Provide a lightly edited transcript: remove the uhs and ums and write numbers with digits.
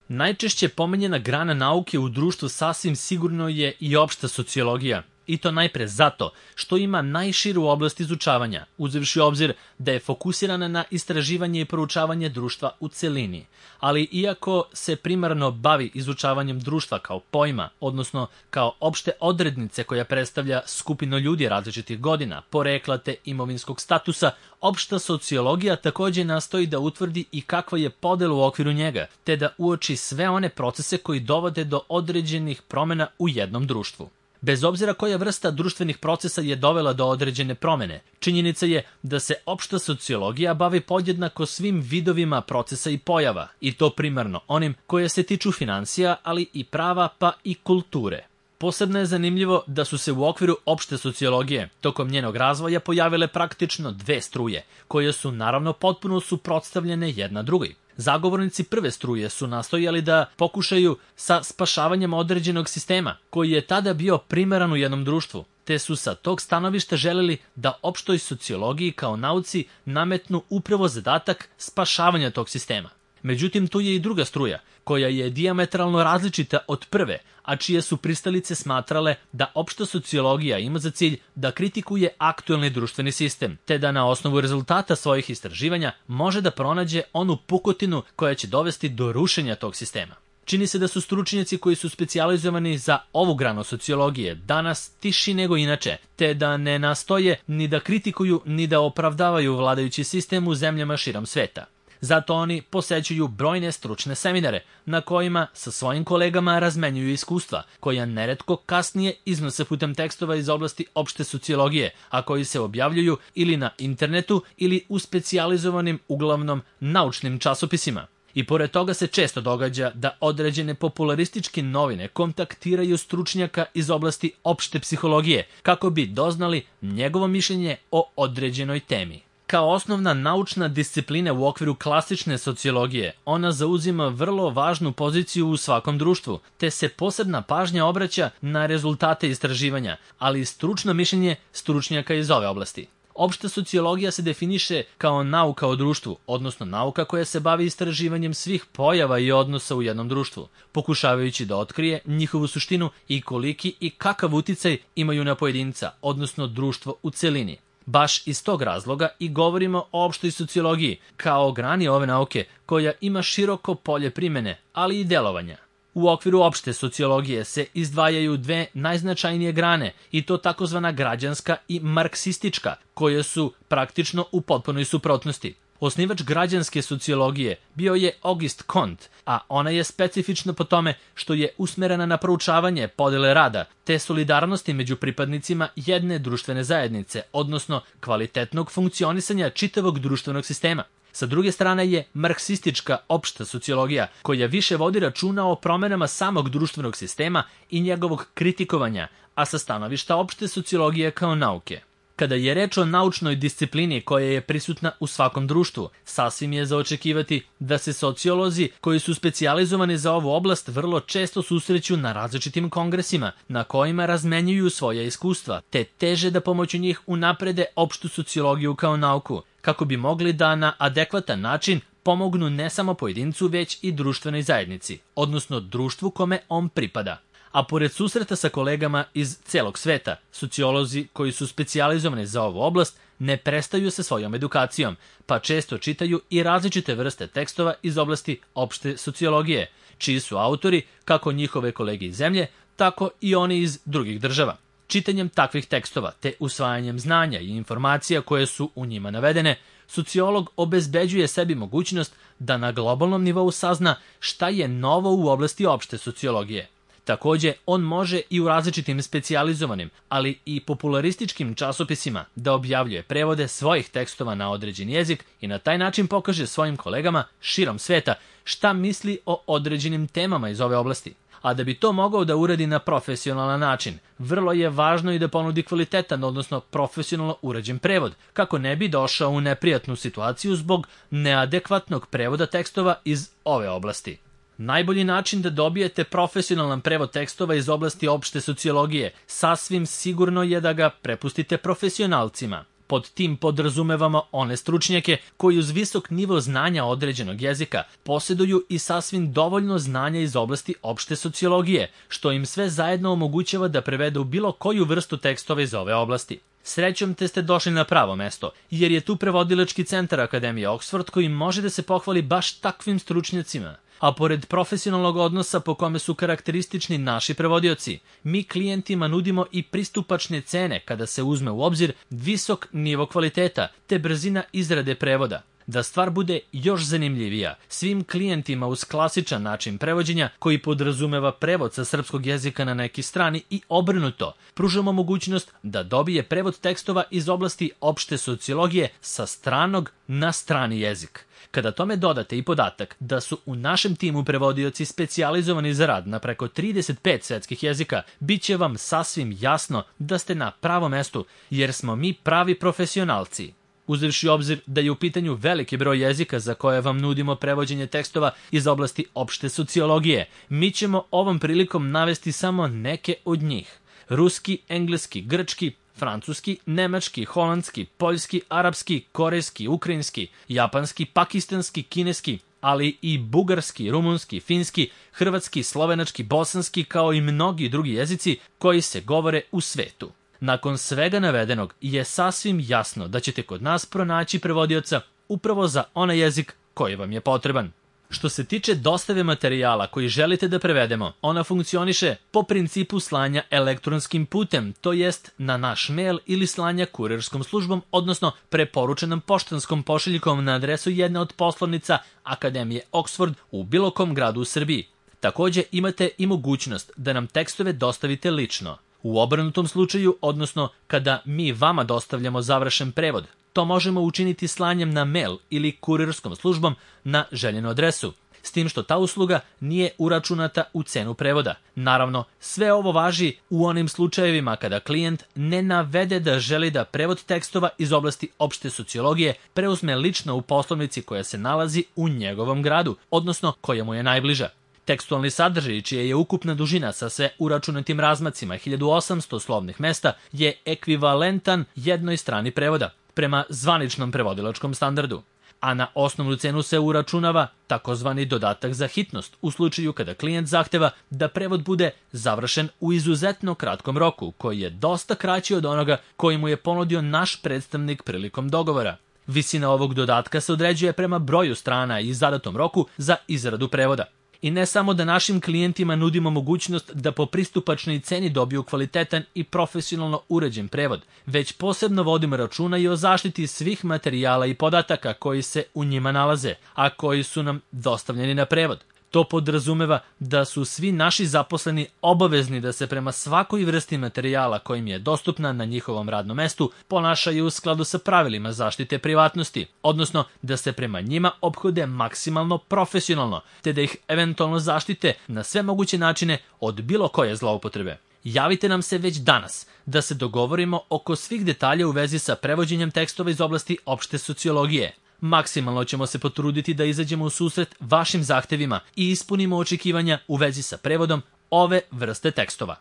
Najčešće pomenjena grana nauke u društvu sasvim sigurno je i opšta sociologija. I to najpre zato što ima najširu oblast izučavanja, uzevši u obzir da je fokusirana na istraživanje i proučavanje društva u celini. Ali iako se primarno bavi izučavanjem društva kao pojma, odnosno kao opšte odrednice koja predstavlja skupinu ljudi različitih godina, porekla te imovinskog statusa, opšta sociologija takođe nastoji da utvrdi i kakva je podela u okviru njega, te da uoči sve one procese koji dovode do određenih promena u jednom društvu. Bez obzira koja vrsta društvenih procesa je dovela do određene promene, činjenica je da se opšta sociologija bavi podjednako svim vidovima procesa i pojava, i to primarno onim koje se tiču finansija, ali i prava pa i kulture. Posebno je zanimljivo da su se u okviru opšte sociologije tokom njenog razvoja pojavile praktično dve struje, koje su naravno potpuno suprotstavljene jedna drugoj. Zagovornici prve struje su nastojali da pokušaju sa spašavanjem određenog sistema, koji je tada bio primaran u jednom društvu, te su sa tog stanovišta želeli da opštoj sociologiji kao nauci nametnu upravo zadatak spašavanja tog sistema. Međutim, tu je i druga struja, koja je dijametralno različita od prve, a čije su pristalice smatrale da opšta sociologija ima za cilj da kritikuje aktuelni društveni sistem, te da na osnovu rezultata svojih istraživanja može da pronađe onu pukotinu koja će dovesti do rušenja tog sistema. Čini se da su stručnjaci koji su specijalizovani za ovu granu sociologije danas tiši nego inače, te da ne nastoje ni da kritikuju ni da opravdavaju vladajući sistem u zemljama širom sveta. Zato oni posećuju brojne stručne seminare na kojima sa svojim kolegama razmenjuju iskustva, koja neretko kasnije iznose putem tekstova iz oblasti opšte sociologije, a koji se objavljuju ili na internetu ili u specijalizovanim, uglavnom naučnim časopisima. I pored toga se često događa da određene popularističke novine kontaktiraju stručnjaka iz oblasti opšte psihologije kako bi doznali njegovo mišljenje o određenoj temi. Kao osnovna naučna disciplina u okviru klasične sociologije, ona zauzima vrlo važnu poziciju u svakom društvu, te se posebna pažnja obraća na rezultate istraživanja, ali i stručno mišljenje stručnjaka iz ove oblasti. Opšta sociologija se definiše kao nauka o društvu, odnosno nauka koja se bavi istraživanjem svih pojava i odnosa u jednom društvu, pokušavajući da otkrije njihovu suštinu i koliki i kakav uticaj imaju na pojedinca, odnosno društvo u celini. Baš iz tog razloga i govorimo o opštoj sociologiji, kao grani ove nauke koja ima široko polje primene, ali i delovanja. U okviru opšte sociologije se izdvajaju dve najznačajnije grane, i to takozvana građanska i marksistička, koje su praktično u potpunoj suprotnosti. Osnivač građanske sociologije bio je Auguste Comte, a ona je specifična po tome što je usmerena na proučavanje podele rada, te solidarnosti među pripadnicima jedne društvene zajednice, odnosno kvalitetnog funkcionisanja čitavog društvenog sistema. Sa druge strane je marksistička opšta sociologija, koja više vodi računa o promenama samog društvenog sistema i njegovog kritikovanja, a sa stanovišta opšte sociologije kao nauke. Kada je reč o naučnoj disciplini koja je prisutna u svakom društvu, sasvim je za očekivati da se sociolozi koji su specijalizovani za ovu oblast vrlo često susreću na različitim kongresima na kojima razmenjuju svoja iskustva, te teže da pomoću njih unaprede opštu sociologiju kao nauku, kako bi mogli da na adekvatan način pomognu ne samo pojedincu već i društvenoj zajednici, odnosno društvu kome on pripada. A pored susreta sa kolegama iz celog sveta, sociolozi koji su specijalizovani za ovu oblast ne prestaju sa svojom edukacijom, pa često čitaju i različite vrste tekstova iz oblasti opšte sociologije, čiji su autori kako njihove kolege iz zemlje, tako i oni iz drugih država. Čitanjem takvih tekstova te usvajanjem znanja i informacija koje su u njima navedene, sociolog obezbeđuje sebi mogućnost da na globalnom nivou sazna šta je novo u oblasti opšte sociologije. Takođe, on može i u različitim specijalizovanim, ali i popularističkim časopisima da objavljuje prevode svojih tekstova na određen jezik i na taj način pokaže svojim kolegama širom sveta šta misli o određenim temama iz ove oblasti. A da bi to mogao da uradi na profesionalan način, vrlo je važno i da ponudi kvalitetan, odnosno profesionalno urađen prevod, kako ne bi došao u neprijatnu situaciju zbog neadekvatnog prevoda tekstova iz ove oblasti. Najbolji način da dobijete profesionalan prevod tekstova iz oblasti opšte sociologije sasvim sigurno je da ga prepustite profesionalcima. Pod tim podrazumevamo one stručnjake koji uz visok nivo znanja određenog jezika posjeduju i sasvim dovoljno znanja iz oblasti opšte sociologije, što im sve zajedno omogućava da prevedu bilo koju vrstu tekstova iz ove oblasti. Srećom te ste došli na pravo mesto, jer je tu prevodilački centar Akademije Oxford koji može da se pohvali baš takvim stručnjacima. A pored profesionalnog odnosa po kome su karakteristični naši prevodioci, mi klijentima nudimo i pristupačne cene kada se uzme u obzir visok nivo kvaliteta te brzina izrade prevoda. Da stvar bude još zanimljivija, svim klijentima uz klasičan način prevođenja koji podrazumeva prevod sa srpskog jezika na neki strani i obrnuto, pružamo mogućnost da dobije prevod tekstova iz oblasti opšte sociologije sa stranog na strani jezik. Kada tome dodate i podatak da su u našem timu prevodioci specijalizovani za rad na preko 35 svetskih jezika, bit će vam sasvim jasno da ste na pravom mestu, jer smo mi pravi profesionalci. Uzevši obzir da je u pitanju veliki broj jezika za koje vam nudimo prevođenje tekstova iz oblasti opšte sociologije, mi ćemo ovom prilikom navesti samo neke od njih. Ruski, engleski, grčki, francuski, nemački, holandski, poljski, arapski, korejski, ukrajinski, japanski, pakistanski, kineski, ali i bugarski, rumunski, finski, hrvatski, slovenački, bosanski, kao i mnogi drugi jezici koji se govore u svetu. Nakon svega navedenog je sasvim jasno da ćete kod nas pronaći prevodioca upravo za onaj jezik koji vam je potreban. Što se tiče dostave materijala koji želite da prevedemo, ona funkcioniše po principu slanja elektronskim putem, to jest na naš mail ili slanja kurirskom službom, odnosno preporučenom poštanskom pošiljkom na adresu jedne od poslovnica Akademije Oxford u bilo kom gradu u Srbiji. Takođe imate i mogućnost da nam tekstove dostavite lično. U obrnutom slučaju, odnosno kada mi vama dostavljamo završen prevod, to možemo učiniti slanjem na mail ili kurirskom službom na željenu adresu, s tim što ta usluga nije uračunata u cenu prevoda. Naravno, sve ovo važi u onim slučajevima kada klijent ne navede da želi da prevod tekstova iz oblasti opšte sociologije preuzme lično u poslovnici koja se nalazi u njegovom gradu, odnosno koja mu je najbliža. Tekstualni sadržaj, čija je ukupna dužina sa sve uračunatim razmacima 1800 slovnih mesta, je ekvivalentan jednoj strani prevoda, prema zvaničnom prevodilačkom standardu. A na osnovnu cenu se uračunava takozvani dodatak za hitnost u slučaju kada klijent zahteva da prevod bude završen u izuzetno kratkom roku, koji je dosta kraći od onoga koji mu je ponudio naš predstavnik prilikom dogovora. Visina ovog dodatka se određuje prema broju strana i zadatom roku za izradu prevoda. I ne samo da našim klijentima nudimo mogućnost da po pristupačnoj ceni dobiju kvalitetan i profesionalno uređen prevod, već posebno vodimo računa i o zaštiti svih materijala i podataka koji se u njima nalaze, a koji su nam dostavljeni na prevod. To podrazumeva da su svi naši zaposleni obavezni da se prema svakoj vrsti materijala kojim je dostupna na njihovom radnom mestu ponašaju u skladu sa pravilima zaštite privatnosti, odnosno da se prema njima ophode maksimalno profesionalno, te da ih eventualno zaštite na sve moguće načine od bilo koje zloupotrebe. Javite nam se već danas da se dogovorimo oko svih detalja u vezi sa prevođenjem tekstova iz oblasti opšte sociologije. Maksimalno ćemo se potruditi da izađemo u susret vašim zahtevima i ispunimo očekivanja u vezi sa prevodom ove vrste tekstova.